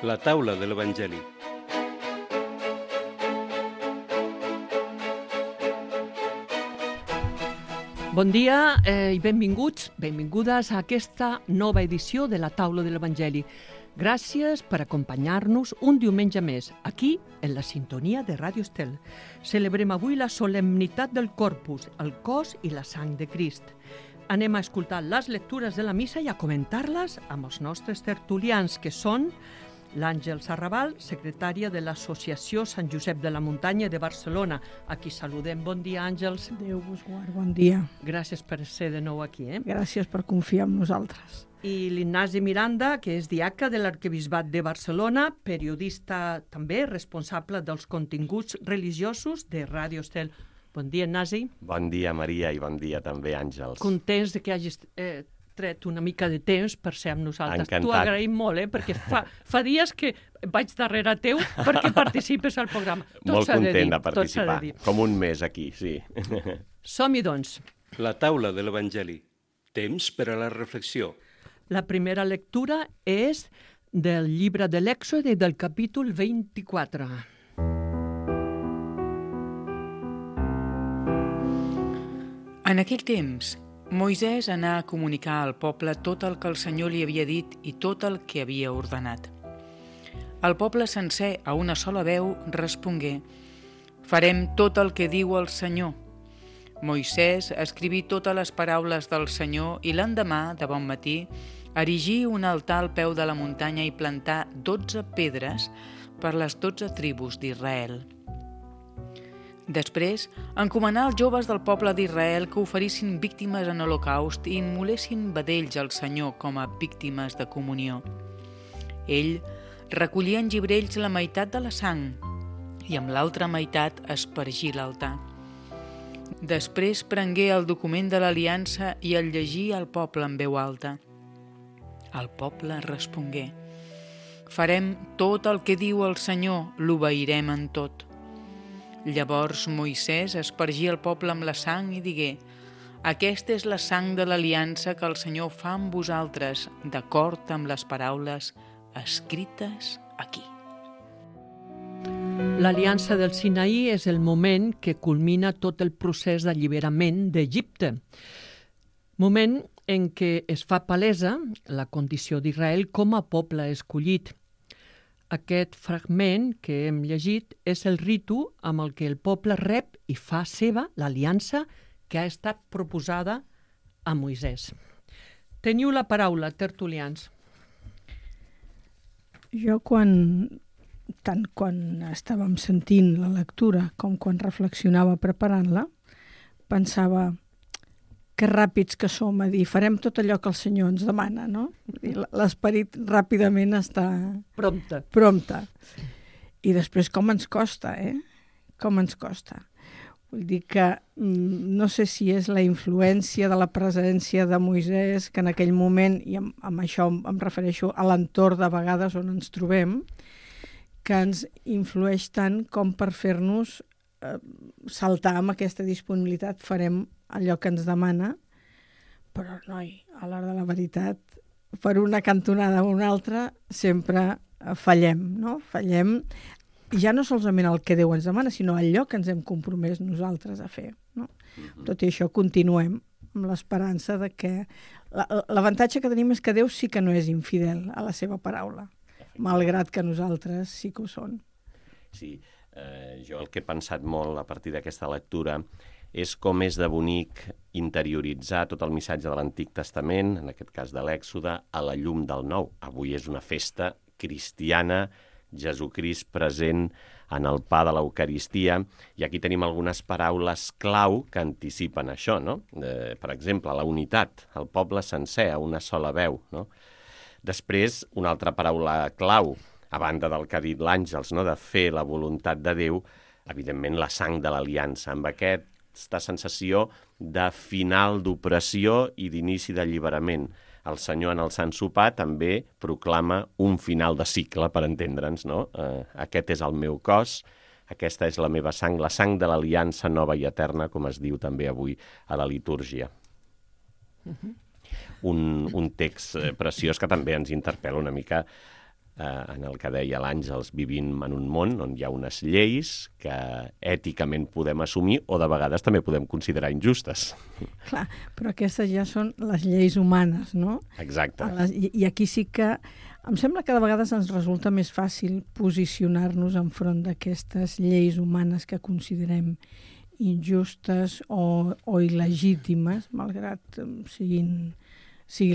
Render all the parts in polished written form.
La taula de l'Evangeli. Bon dia i benvingudes a aquesta nova edició de la taula de l'Evangeli. Gràcies per acompanyar-nos un diumenge més, aquí, en la sintonia de Ràdio Estel. Celebrem avui la solemnitat del Corpus, el cos i la sang de Crist. Anem a escoltar les lectures de la missa i a comentar-les amb els nostres tertulians, que són l'Àngels Arrabal, secretària de l'Associació Sant Josep de la Muntanya de Barcelona. A qui saludem. Bon dia, Àngels. Déu vos guard, bon dia. Gràcies per ser de nou aquí. Gràcies per confiar en nosaltres. I l'Ignasi Miranda, que és diaca de l'Arquebisbat de Barcelona, periodista també, responsable dels continguts religiosos de Ràdio Estel. Bon dia, Ignasi. Bon dia, Maria, i bon dia també, Àngels. Contents de que hagis tret una mica de temps per ser amb nosaltres. Encantat. T'ho agraïm molt, perquè fa dies que vaig darrere teu perquè participes al programa. Molt content de participar, com un mes aquí, sí. Som-hi, doncs. La taula de l'Evangeli. Temps per a la reflexió. La primera lectura és del llibre de l'Èxode del capítol 24. En aquell temps, Moisès anà a comunicar al poble tot el que el Senyor li havia dit i tot el que havia ordenat. El poble sencer, a una sola veu, respongué: «Farem tot el que diu el Senyor». Moisès escriví totes les paraules del Senyor i l'endemà, de bon matí, erigí un altar al peu de la muntanya i plantà 12 pedres per les 12 tribus d'Israel. Després, encomanà als joves del poble d'Israel que oferissin víctimes en holocaust i immolessin vedells al Senyor com a víctimes de comunió. Ell recollia en gibrells la meitat de la sang i amb l'altra meitat espargí l'altar. Després prengué el document de l'aliança i el llegí al poble en veu alta. El poble respongué: «Farem tot el que diu el Senyor, l'obeirem en tot». Llavors Moisès espargí el poble amb la sang i digué: «Aquesta és la sang de l'aliança que el Senyor fa amb vosaltres, d'acord amb les paraules escrites aquí». L'Aliança del Sinaí és el moment que culmina tot el procés d'alliberament d'Egipte. Moment en què es fa palesa la condició d'Israel com a poble escollit. Aquest fragment que hem llegit és el ritu amb el que el poble rep i fa seva l'aliança que ha estat proposada a Moisès. Teniu la paraula, tertulians. Jo tant quan estàvem sentint la lectura com quan reflexionava preparant-la, pensava que ràpids que som a dir, farem tot allò que el Senyor ens demana, no? L'esperit ràpidament està prompte. I després com ens costa, Com ens costa. Vull dir que no sé si és la influència de la presència de Moisès, que en aquell moment, i amb això em refereixo a l'entorn de vegades on ens trobem, que ens influeix tant com per fer-nos saltar amb aquesta disponibilitat, farem allò que ens demana, però, noi, a l'hora de la veritat, per una cantonada o una altra, sempre fallem, no? Fallem, ja no solament el que Déu ens demana, sinó allò que ens hem compromès nosaltres a fer, no? Tot i això, continuem amb l'esperança de que... L'avantatge que tenim és que Déu sí que no és infidel a la seva paraula, malgrat que nosaltres sí que ho són. Sí, jo el que he pensat molt a partir d'aquesta lectura és com és de bonic interioritzar tot el missatge de l'Antic Testament, en aquest cas de l'Èxode, a la llum del Nou. Avui és una festa cristiana, Jesucrist present en el pa de l'Eucaristia, i aquí tenim algunes paraules clau que anticipen això, no? Per exemple, la unitat, el poble sencer, a una sola veu, no? Després, una altra paraula clau, a banda del que ha dit l'Àngels, no? De fer la voluntat de Déu, evidentment la sang de l'aliança, amb aquesta sensació de final d'opressió i d'inici d'alliberament. El Senyor en el Sant Sopar també proclama un final de cicle, per entendre'ns, no? Aquest és el meu cos, aquesta és la meva sang, la sang de l'aliança nova i eterna, com es diu també avui a la litúrgia. Un text preciós que també ens interpel·la una mica en el que deia l'Àngels, vivim en un món on hi ha unes lleis que èticament podem assumir o de vegades també podem considerar injustes. Clar, però aquestes ja són les lleis humanes, no? Exacte. I aquí sí que em sembla que de vegades ens resulta més fàcil posicionar-nos enfront d'aquestes lleis humanes que considerem injustes o il·legítimes, malgrat siguin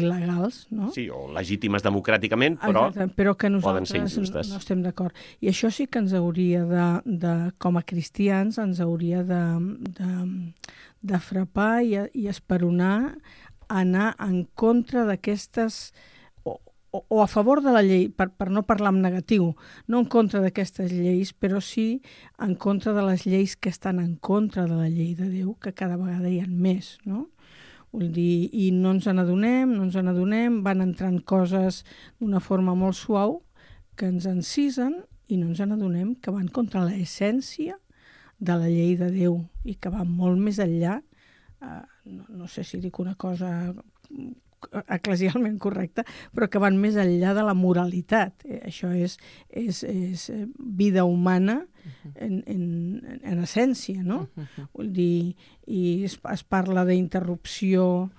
legals, no? Sí, o legítimes democràticament, però, exacte, però que poden ser nosaltres injustes. no estem d'acord. I això sí que ens hauria com a cristians, ens hauria de frapar i esperonar anar en contra d'aquestes o a favor de la llei, per no parlar en negatiu, no en contra d'aquestes lleis, però sí en contra de les lleis que estan en contra de la llei de Déu, que cada vegada hi ha més, no? Vull dir, i no ens n'adonem, van entrant coses d'una forma molt suau que ens encisen i no ens n'adonem que van contra l'essència de la llei de Déu i que van molt més enllà, no sé si dic una cosa eclesialment correcta, però que van més enllà de la moralitat. Això és vida humana en essència, no? Vull dir, i es parla d'interrupció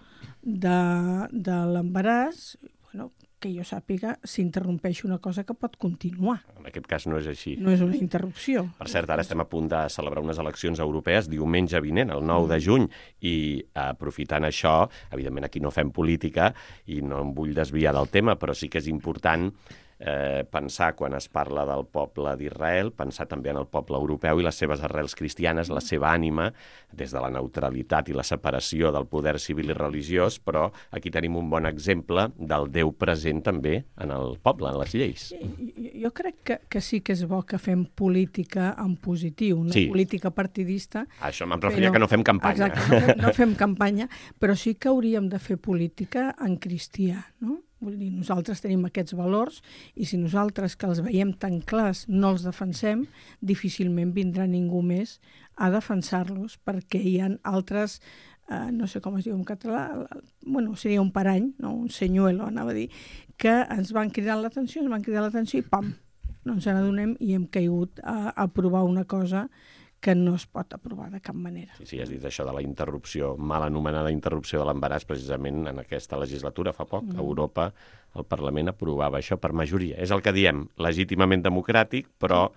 de l'embaràs, bueno, que jo sàpiga, s'interrompeix una cosa que pot continuar. En aquest cas no és així. No és una interrupció. Per cert, ara estem a punt de celebrar unes eleccions europees diumenge vinent, el 9 de juny, i aprofitant això, evidentment aquí no fem política i no em vull desviar del tema, però sí que és important pensar, quan es parla del poble d'Israel, pensar també en el poble europeu i les seves arrels cristianes, la seva ànima, des de la neutralitat i la separació del poder civil i religiós, però aquí tenim un bon exemple del Déu present també en el poble, en les lleis. Jo crec que sí que és bo que fem política en positiu, no sí. Política partidista. Això me'n referia que no fem campanya. Exacte, no fem campanya, però sí que hauríem de fer política en cristià, no? Vull dir, nosaltres tenim aquests valors i si nosaltres, que els veiem tan clars, no els defensem, difícilment vindrà ningú més a defensar-los, perquè hi ha altres, no sé com es diu en català, bueno, seria un parany, no? Un senyuelo, anava a dir, que ens van cridar l'atenció i pam, no ens n'adonem i hem caigut a aprovar una cosa que no es pot aprovar de cap manera. Sí, has dit això de la interrupció, mal anomenada interrupció de l'embaràs, precisament en aquesta legislatura, fa poc, a Europa, el Parlament aprovava això per majoria. És el que diem, legítimament democràtic, però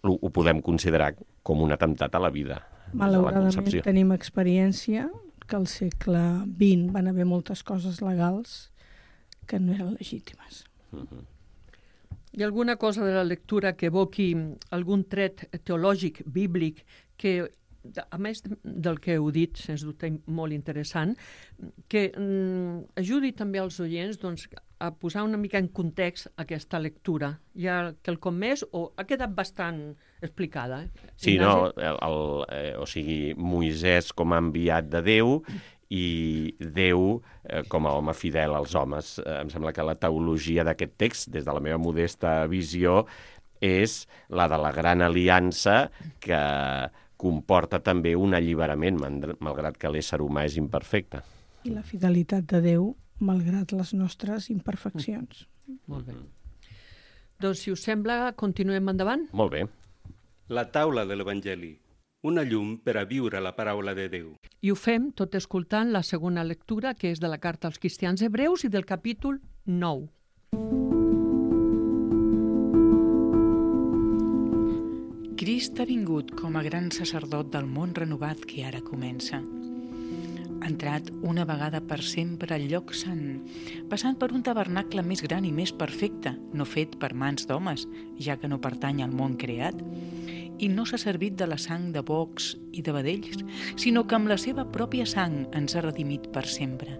ho podem considerar com un atemptat a la vida. Malauradament tenim experiència que al segle XX van haver moltes coses legals que no eren legítimes. Hi ha alguna cosa de la lectura que evoqui algun tret teològic, bíblic, que, a més del que heu dit, sens dubte molt interessant, que ajudi també als oients a posar una mica en context aquesta lectura? Hi ha quelcom més o ha quedat bastant explicada? Sí, no, o sigui, Moisès com a enviat de Déu i Déu com a home fidel als homes. Em sembla que la teologia d'aquest text, des de la meva modesta visió, és la de la gran aliança que comporta també un alliberament, malgrat que l'ésser humà és imperfecte. I la fidelitat de Déu, malgrat les nostres imperfeccions. Molt bé. Doncs, si us sembla, continuem endavant? Molt bé. La taula de l'Evangeli. Una llum per a viure la paraula de Déu. I ho fem tot escoltant la segona lectura, que és de la carta als cristians hebreus i del capítol 9. Crist ha vingut com a gran sacerdot del món renovat que ara comença. Ha entrat una vegada per sempre al lloc sant, passant per un tabernacle més gran i més perfecte, no fet per mans d'homes, ja que no pertany al món creat, i no s'ha servit de la sang de bocs i de vedells, sinó que amb la seva pròpia sang ens ha redimit per sempre.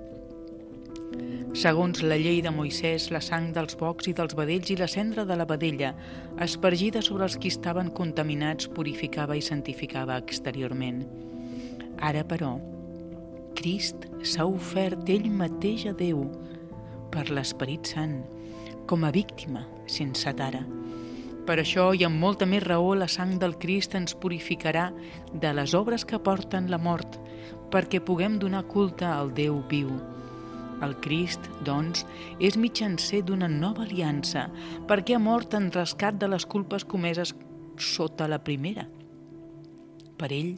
Segons la llei de Moisès, la sang dels bocs i dels vedells i la cendra de la vedella, aspergida sobre els qui estaven contaminats, purificava i santificava exteriorment. Ara, però, Crist s'ha ofert ell mateix a Déu per l'Esperit Sant, com a víctima sense tara. Per això i amb molta més raó la sang del Crist ens purificarà de les obres que porten la mort, perquè puguem donar culte al Déu viu. El Crist, doncs, és mitjancer d'una nova aliança, perquè ha mort en rescat de les culpes comeses sota la primera. Per ell,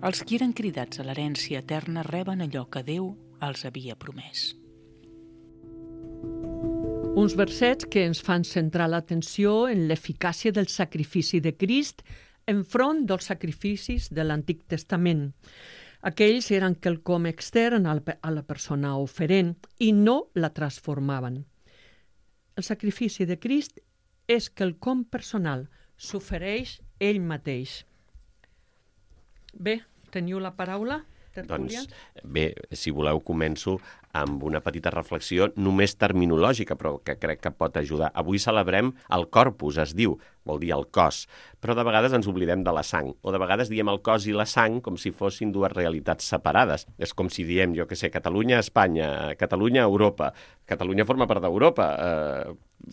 els qui eren cridats a l'herència eterna reben allò que Déu els havia promès. Uns versets que ens fan centrar l'atenció en l'eficàcia del sacrifici de Crist enfront dels sacrificis de l'Antic Testament. Aquells eren quelcom extern a la persona oferent i no la transformaven. El sacrifici de Crist és quelcom personal, s'ofereix ell mateix. Bé, teniu la paraula, tertulians? Doncs bé, si voleu començo amb una petita reflexió només terminològica, però que crec que pot ajudar. Avui celebrem el Corpus, es diu, vol dir el cos, però de vegades ens oblidem de la sang, o de vegades diem el cos i la sang com si fossin dues realitats separades. És com si diem, jo que sé, Catalunya, Espanya, Catalunya, Europa. Catalunya forma part d'Europa,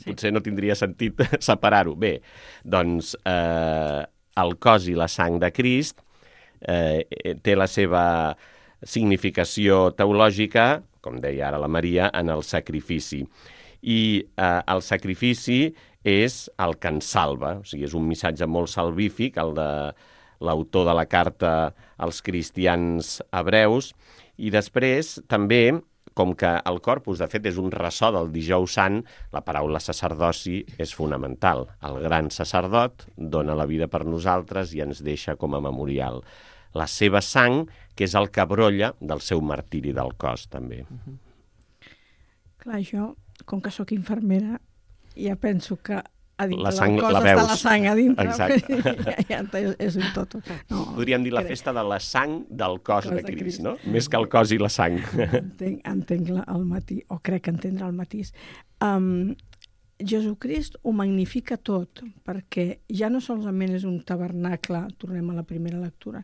potser no tindria sentit separar-ho. Bé, doncs el cos i la sang de Crist té la seva significació teològica, com deia ara la Maria, en el sacrifici. I el sacrifici és el que ens salva, o sigui, és un missatge molt salvífic, el de l'autor de la carta als cristians hebreus, i després també, com que el Corpus, de fet, és un ressò del Dijous Sant, la paraula sacerdoci és fonamental. El gran sacerdot dona la vida per nosaltres i ens deixa com a memorial la seva sang, que és el que brolla del seu martiri del cos, també. Clar, jo, com que sóc infermera, ja penso que a dintre la sang, del cos la està veus. la sang a dintre. Exacte. ja és un tot. No, Podríem dir la festa de la sang del cos de Crist, no? Més que el cos i la sang. Entenc el matí, o crec entendre el matís. Jesucrist ho magnifica tot, perquè ja no solament és un tabernacle, tornem a la primera lectura,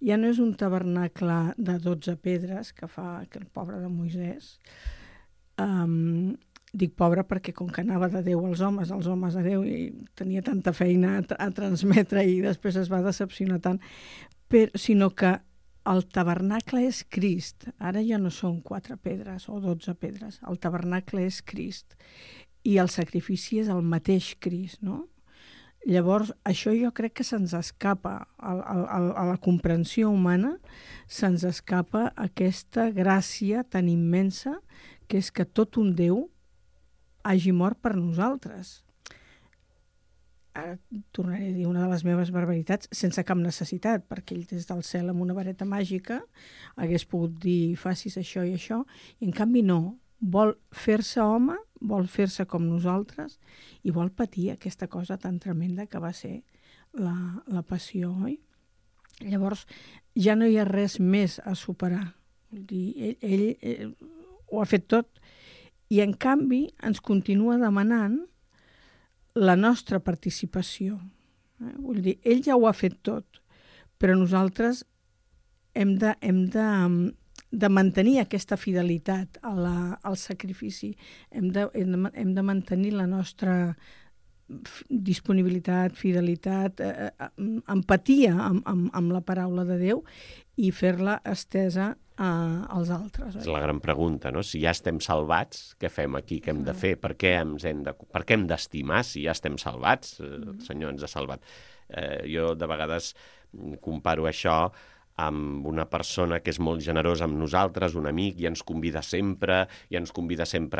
ja no és un tabernacle de 12 pedres que fa el pobre de Moisès. Dic pobre perquè com que anava de Déu als homes a Déu, i tenia tanta feina a transmetre i després es va decepcionar tant, sinó que el tabernacle és Crist. Ara ja no són 4 pedres o 12 pedres, el tabernacle és Crist. I el sacrifici és el mateix Crist, no? Llavors, això jo crec que se'ns escapa, a la comprensió humana, se'ns escapa aquesta gràcia tan immensa que és que tot un Déu hagi mort per nosaltres. Ara tornaré a dir una de les meves barbaritats sense cap necessitat, perquè ell des del cel amb una vareta màgica hagués pogut dir facis això i això, i en canvi no. Vol fer-se home, vol fer-se com nosaltres i vol patir aquesta cosa tan tremenda que va ser la passió, oi? Llavors, ja no hi ha res més a superar. Vull dir, ell ho ha fet tot i, en canvi, ens continua demanant la nostra participació. Vull dir, ell ja ho ha fet tot, però nosaltres hem de mantenir aquesta fidelitat al sacrifici. Hem de mantenir la nostra disponibilitat, fidelitat, empatia amb la paraula de Déu i fer-la estesa als altres. És la gran pregunta, no? Si ja estem salvats, què fem aquí? Què hem de fer? Per què hem d'estimar si ja estem salvats? El Senyor ens ha salvat. Jo de vegades comparo això amb una persona que és molt generosa amb nosaltres, un amic, i ens convida sempre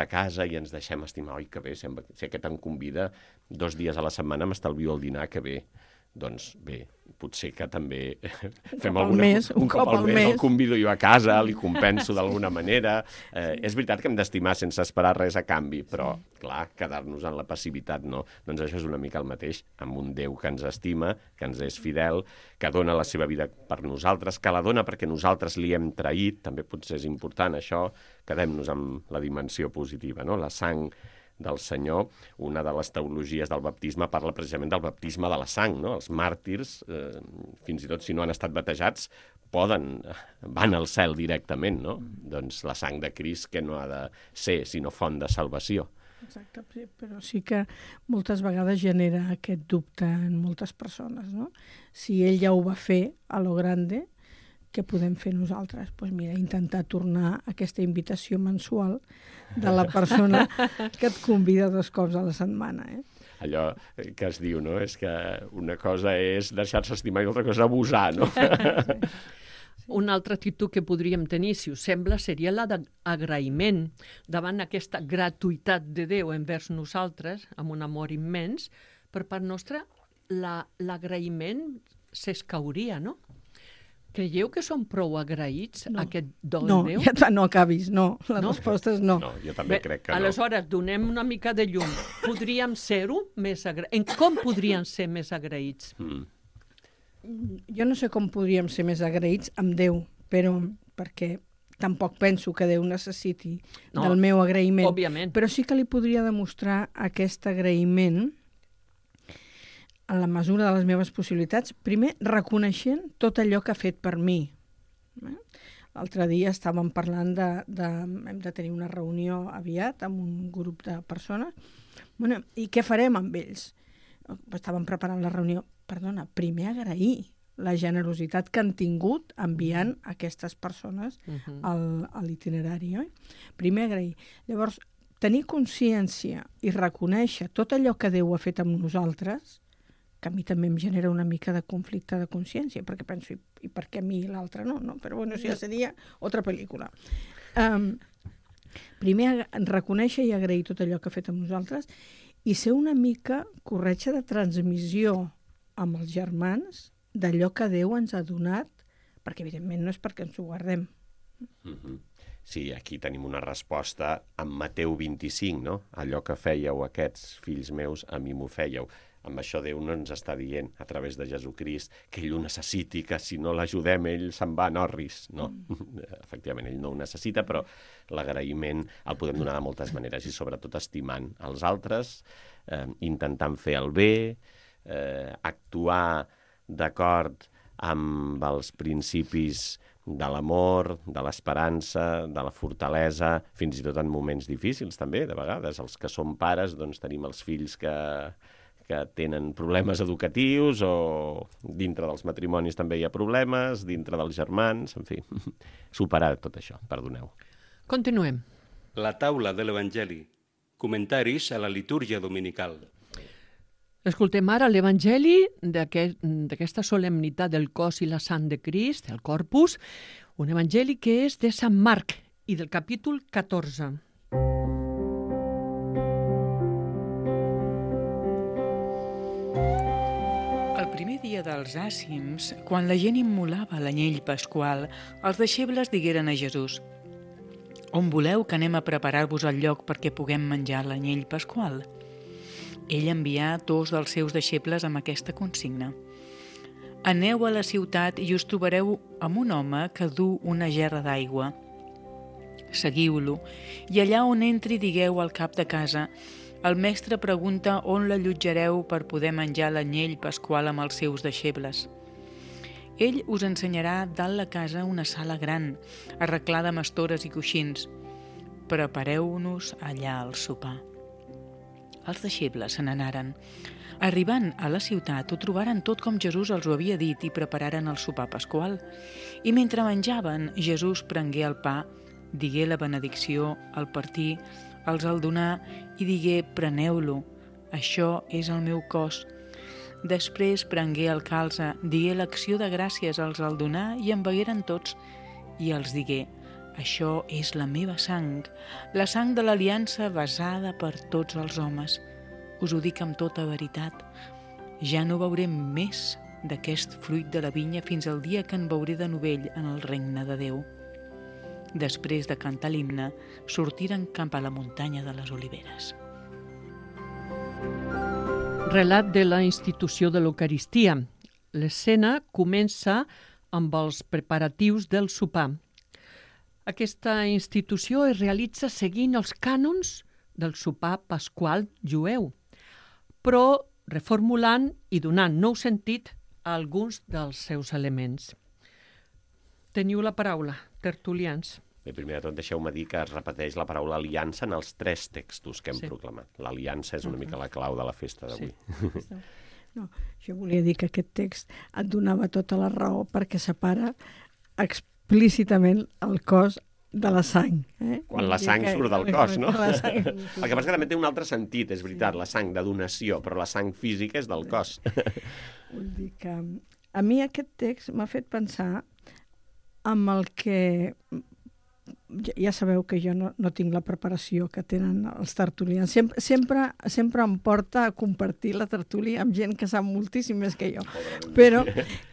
a casa i ens deixem estimar. Oi, que bé, si aquest em convida 2 dies a la setmana m'estalvio el dinar, que bé. Doncs bé, potser que també fem un cop al mes, el convido jo a casa, li compenso d'alguna manera. És veritat que hem d'estimar sense esperar res a canvi, però, clar, quedar-nos en la passivitat no. Doncs això és una mica el mateix, amb un Déu que ens estima, que ens és fidel, que dona la seva vida per nosaltres, que la dona perquè nosaltres li hem traït, també potser és important això, quedem-nos amb la dimensió positiva, no? La sang del Senyor, una de les teologies del baptisme parla precisament del baptisme de la sang, no? Els màrtirs, fins i tot si no han estat batejats, van al cel directament, no? Doncs la sang de Crist que no ha de ser sinó font de salvació. Exacte, però sí que moltes vegades genera aquest dubte en moltes persones, no? Si ell ja ho va fer a lo grande, què podem fer nosaltres? Doncs mira, intentar tornar aquesta invitació mensual de la persona que et convida 2 cops a la setmana. Allò que es diu, no? És que una cosa és deixar-se estimar i l'altra cosa abusar, no? Una altra actitud que podríem tenir, si us sembla, seria la d'agraïment davant aquesta gratuïtat de Déu envers nosaltres, amb un amor immens. Per part nostra, l'agraïment s'escauria, no? Creieu que som prou agraïts a aquest do de Déu? No acabis, no. La resposta és no. No, jo també crec que no. Aleshores, donem una mica de llum. Podríem ser-ho més agraïts? Com podríem ser més agraïts? Jo no sé com podríem ser més agraïts amb Déu, però perquè tampoc penso que Déu necessiti del meu agraïment. Òbviament. Però sí que li podria demostrar aquest agraïment en la mesura de les meves possibilitats, primer reconeixent tot allò que ha fet per mi. L'altre dia estàvem parlant hem de tenir una reunió aviat amb un grup de persones. Bueno, i què farem amb ells? Estàvem preparant la reunió. Perdona, primer agrair la generositat que han tingut enviant aquestes persones a l'itinerari. Primer agrair. Llavors, tenir consciència i reconèixer tot allò que Déu ha fet amb nosaltres, que a mi també em genera una mica de conflicte de consciència, perquè penso, i per què a mi i l'altre no? Però bueno, això ja seria altra pel·lícula. Primer, reconèixer i agrair tot allò que ha fet amb nosaltres i ser una mica corretja de transmissió amb els germans d'allò que Déu ens ha donat, perquè evidentment no és perquè ens ho guardem. Sí, aquí tenim una resposta amb Mateu 25, no? Allò que fèieu aquests fills meus, a mi m'ho fèieu. Amb això Déu no ens està dient, a través de Jesucrist, que ell ho necessiti, que si no l'ajudem ell se'n va a Norris. No, efectivament, ell no ho necessita, però l'agraïment el podem donar de moltes maneres i sobretot estimant els altres, intentant fer el bé, actuar d'acord amb els principis de l'amor, de l'esperança, de la fortalesa, fins i tot en moments difícils també, de vegades. Els que som pares, doncs tenim els fills que tenen problemes educatius o dintre dels matrimonis també hi ha problemes, dintre dels germans, en fi, superar tot això, perdoneu. Continuem. La taula de l'Evangeli. Comentaris a la litúrgia dominical. Escoltem ara l'Evangeli d'aquesta solemnitat del cos i la sang de Crist, el Corpus, un Evangeli que és de Sant Marc i del capítol 14. El primer dia dels àcims, quan la gent immolava l'anyell pasqual, els deixebles digueren a Jesús: «On voleu que anem a preparar-vos el lloc perquè puguem menjar l'anyell pasqual?» Ell envià 2 dels seus deixebles amb aquesta consigna: «Aneu a la ciutat i us trobareu amb un home que du una gerra d'aigua. Seguiu-lo, i allà on entri digueu al cap de casa: el mestre pregunta on l'allotjareu per poder menjar l'anyell pasqual amb els seus deixebles. Ell us ensenyarà dalt la casa una sala gran, arreglada amb estores i coixins. Prepareu-nos allà al sopar». Els deixebles se n'anaren. Arribant a la ciutat, ho trobaren tot com Jesús els ho havia dit i prepararen el sopar pasqual. I mentre menjaven, Jesús prengué el pa, digué la benedicció al partir, els el donà i digué: «Preneu-lo, això és el meu cos». Després prengué el calze, digué l'acció de gràcies, els el donà i en begueren tots, i els digué: «Això és la meva sang, la sang de l'aliança besada per tots els homes. Us ho dic amb tota veritat, ja no beuré més d'aquest fruit de la vinya fins al dia que en beuré de novell en el regne de Déu». Després de cantar l'himne, sortiren cap a la muntanya de les Oliveres. Relat de la institució de l'Eucaristia. L'escena comença amb els preparatius del sopar. Aquesta institució es realitza seguint els cànons del sopar pasqual jueu, però reformulant i donant nou sentit a alguns dels seus elements. Teniu la paraula, tertulians. Bé, primer de tot, deixeu-me dir que es repeteix la paraula aliança en els 3 textos que hem proclamat. L'aliança és una mica la clau de la festa d'avui. Sí. No, jo volia dir que aquest text et donava tota la raó perquè separa explícitament el cos de la sang. Quan la sang surt del cos, no? El que passa que també té un altre sentit, és veritat, la sang de donació, però la sang física és del cos. Vull dir que a mi aquest text m'ha fet pensar amb el que... Ja sabeu que jo no tinc la preparació que tenen els tertulians. Sempre em porta a compartir la tertúlia amb gent que sap moltíssim més que jo. Però,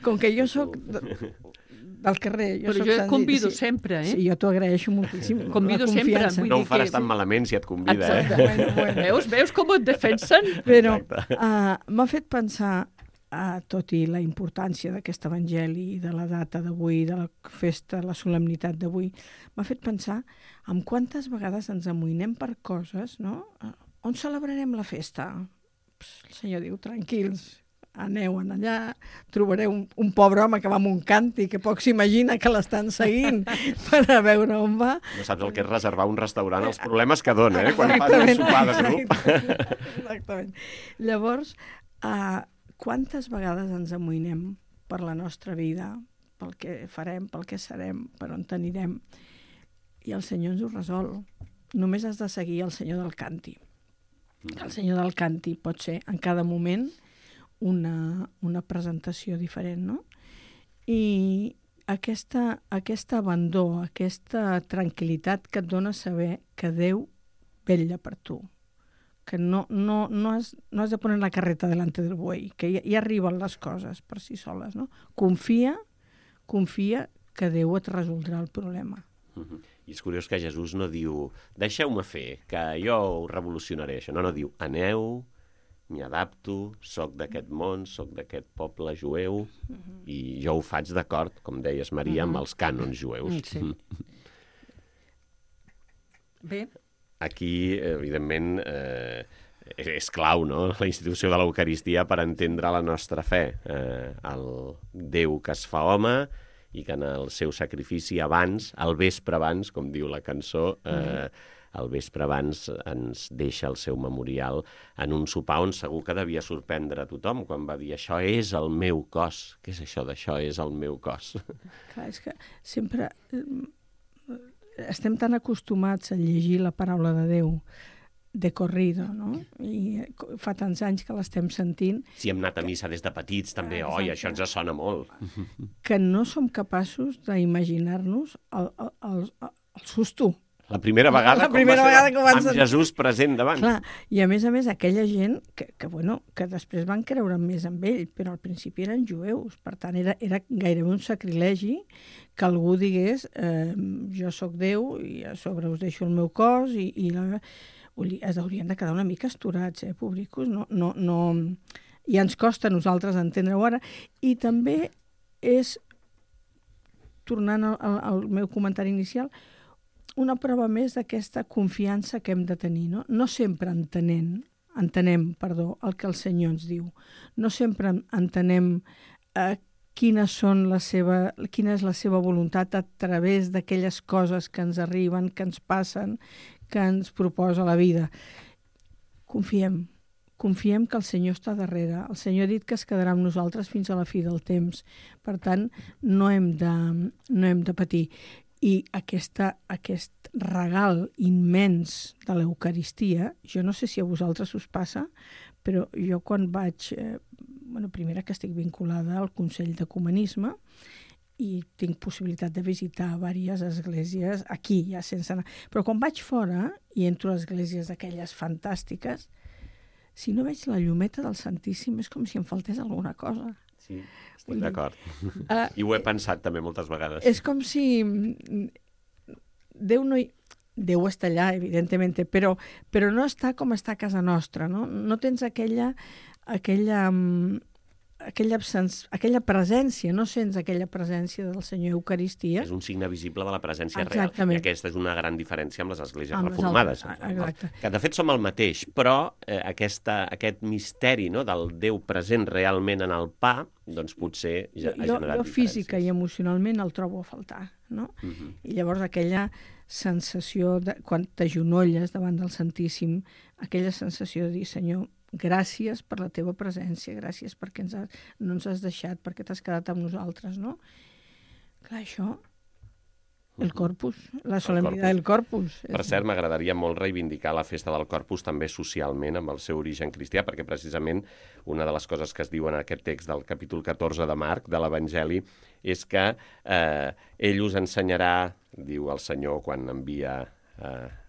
com que jo sóc del carrer... Però jo et convido sempre, eh? Sí, jo t'ho agraeixo moltíssim. Convido sempre. No ho faràs tan malament si et convida, eh? Bueno. Veus com et defensen? Però m'ha fet pensar, tot i la importància d'aquest evangeli, de la data d'avui, de la festa, la solemnitat d'avui, m'ha fet pensar en quantes vegades ens amoïnem per coses, no? On celebrarem la festa? El Senyor diu, tranquils, aneu allà, trobareu un pobre home que va amb un càntic, que poc s'imagina que l'estan seguint per a veure on va. No saps el que és reservar un restaurant, els problemes que dona, quan fas un sopar de grup. Exactament. Llavors, quantes vegades ens amoïnem per la nostra vida, pel que farem, pel que serem, per on anirem, i el Senyor ens ho resol. Només has de seguir el Senyor del Canti. El Senyor del Canti pot ser en cada moment una presentació diferent, no? I aquest abandó, aquesta tranquil·litat que et dona saber que Déu vetlla per tu, que no has de poner la carreta delante del buey, que ja arriben les coses per si soles, no? Confia que Déu et resoldrà el problema. I és curiós que Jesús no diu deixeu-me fer, que jo ho revolucionaré això. No diu aneu, m'hi adapto, soc d'aquest món, soc d'aquest poble jueu, i jo ho faig d'acord, com deies, Maria, amb els cànons jueus. Sí. Bé. Aquí, evidentment, és clau, no?, la institució de l'Eucaristia per entendre la nostra fe. El Déu que es fa home i que en el seu sacrifici abans, al vespre abans, com diu la cançó, al vespre abans ens deixa el seu memorial en un sopar on segur que devia sorprendre a tothom quan va dir això és el meu cos. Què és això d'això és el meu cos? Clar, és que sempre estem tan acostumats a llegir la paraula de Déu de corrido, no? I fa tants anys que l'estem sentint. Si hem anat a missa des de petits, també, oi, això ens sona molt. Que no som capaços d'imaginar-nos el susto. La primera vegada que van amb Jesús present davant. Clar, i a més, aquella gent que després van creure més en ell, però al principi eren jueus, per tant era gairebé un sacrilegi que algú digués jo sóc Déu i a sobre us deixo el meu cos i es haurien de quedar una mica esturats, pobricos, no, i ens costa a nosaltres entendre-ho ara, i també és, tornant al meu comentari inicial, una prova més d'aquesta confiança que hem de tenir, no? No sempre entenem el que el Senyor ens diu. No sempre entenem quina és la seva voluntat a través d'aquelles coses que ens arriben, que ens passen, que ens proposa la vida. Confiem que el Senyor està darrere. El Senyor ha dit que es quedarà amb nosaltres fins a la fi del temps. Per tant, no hem de patir. I aquest regal immens de l'Eucaristia, jo no sé si a vosaltres us passa, però jo quan vaig... primera que estic vinculada al Consell d'Ecumenisme i tinc possibilitat de visitar diverses esglésies aquí, ja sense anar. Però quan vaig fora i entro a esglésies d'aquelles fantàstiques, si no veig la llumeta del Santíssim és com si em faltés alguna cosa. Sí, estic d'acord. I ho he pensat també moltes vegades. És com si Déu no hi... Déu està allà, evidentment, però no està com està a casa nostra, no? No tens aquella presència, no sents aquella presència del Senyor Eucaristia. És un signe visible de la presència Exactament. real. I aquesta és una gran diferència amb les esglésies reformades. Exacte. Que de fet som el mateix, però aquest misteri, no, del Déu present realment en el pa, doncs potser ha generat diferències. Jo física i emocionalment el trobo a faltar, no? I llavors aquella sensació, quan t'agenolles davant del Santíssim, aquella sensació de dir, Senyor, gràcies per la teva presència, gràcies perquè no ens has deixat, perquè t'has quedat amb nosaltres, no? Clar, això, el Corpus, la solemnitat del Corpus. Per cert, m'agradaria molt reivindicar la festa del Corpus també socialment amb el seu origen cristià, perquè precisament una de les coses que es diu en aquest text del capítol 14 de Marc, de l'Evangeli, és que ell us ensenyarà, diu el Senyor quan envia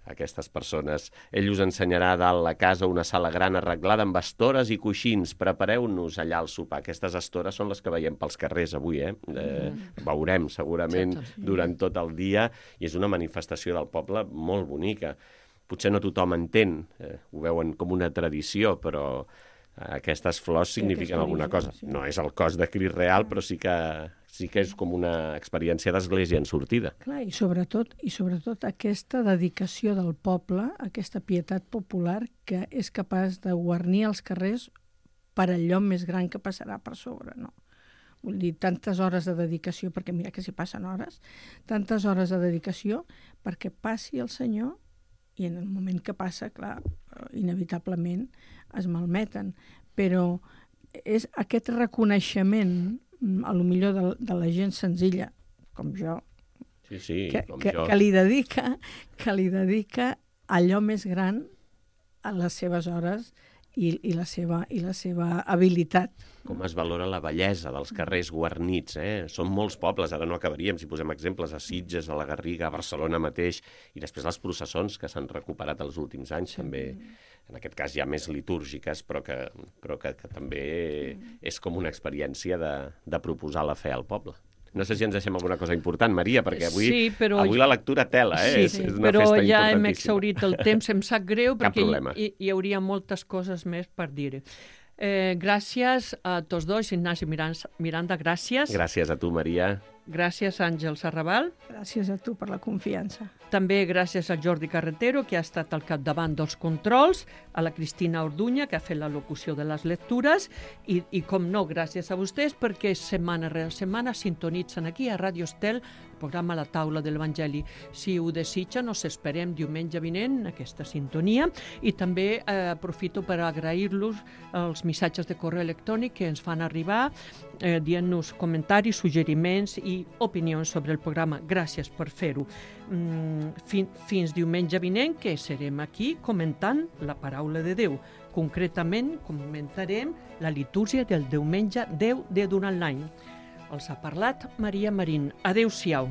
aquestes persones, ell us ensenyarà a dalt la casa una sala gran arreglada amb estores i coixins, prepareu-nos allà al sopar. Aquestes estores són les que veiem pels carrers avui, veurem segurament durant tot el dia, i és una manifestació del poble molt bonica. Potser no tothom entén, ho veuen com una tradició, però aquestes flors signifiquen alguna cosa. No és el cos de Crist real, però sí que és com una experiència d'església en sortida. Clar, i sobretot aquesta dedicació del poble, aquesta pietat popular que és capaç de guarnir els carrers per allò més gran que passarà per sobre, no? Vull dir, tantes hores de dedicació, perquè mira que s'hi passen hores, tantes hores de dedicació perquè passi el Senyor, i en el moment que passa, clar, inevitablement es malmeten, però és aquest reconeixement, a lo millor de la gent senzilla, com jo, que li dedica allò més gran a les seves hores i la seva habilitat. Com es valora la bellesa dels carrers guarnits, Són molts pobles, ara no acabaríem si posem exemples a Sitges, a la Garriga, a Barcelona mateix, i després les processons que s'han recuperat els últims anys, també, en aquest cas ja més litúrgiques, però que també és com una experiència de proposar la fe al poble. No sé si ens deixem alguna cosa important, Maria, perquè avui la lectura tela, és una festa importantíssima. Però ja hem exhaurit el temps, em sap greu, perquè hi hauria moltes coses més per dir. Gràcies a tots dos, Ignasi Miranda, gràcies. Gràcies a tu, Maria. Gràcies, Àngel Serrabal. Gràcies a tu per la confiança. També gràcies a Jordi Carretero, que ha estat al capdavant dels controls, a la Cristina Orduña, que ha fet la locució de les lectures, i com no, gràcies a vostès, perquè setmana rere setmana sintonitzen aquí a Ràdio Estel el programa La Taula de l'Evangeli. Si ho desitgen, us esperem diumenge vinent, aquesta sintonia, i també aprofito per agrair-los els missatges de correu electrònic que ens fan arribar, dient-nos comentaris, suggeriments i opinions sobre el programa. Gràcies per fer-ho. Fins diumenge vinent, que serem aquí comentant la paraula de Déu. Concretament, comentarem la litúrgia del diumenge 10 de durant l'any. Els ha parlat Maria Marín. Adéu-siau.